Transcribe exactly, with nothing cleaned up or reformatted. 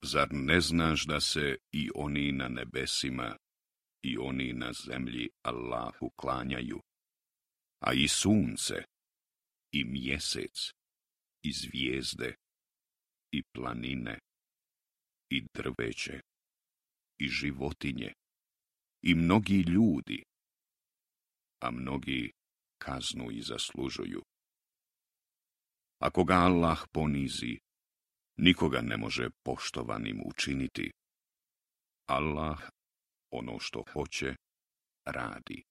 Zar ne znaš da se i oni na nebesima i oni na zemlji Allahu klanjaju, a i sunce, i mjesec, i zvijezde, i planine, i drveće, i životinje, i mnogi ljudi, a mnogi kaznu i zaslužuju. Ako ga Allah ponizi, nikoga ne može poštovanim učiniti. Allah ono što hoće radi.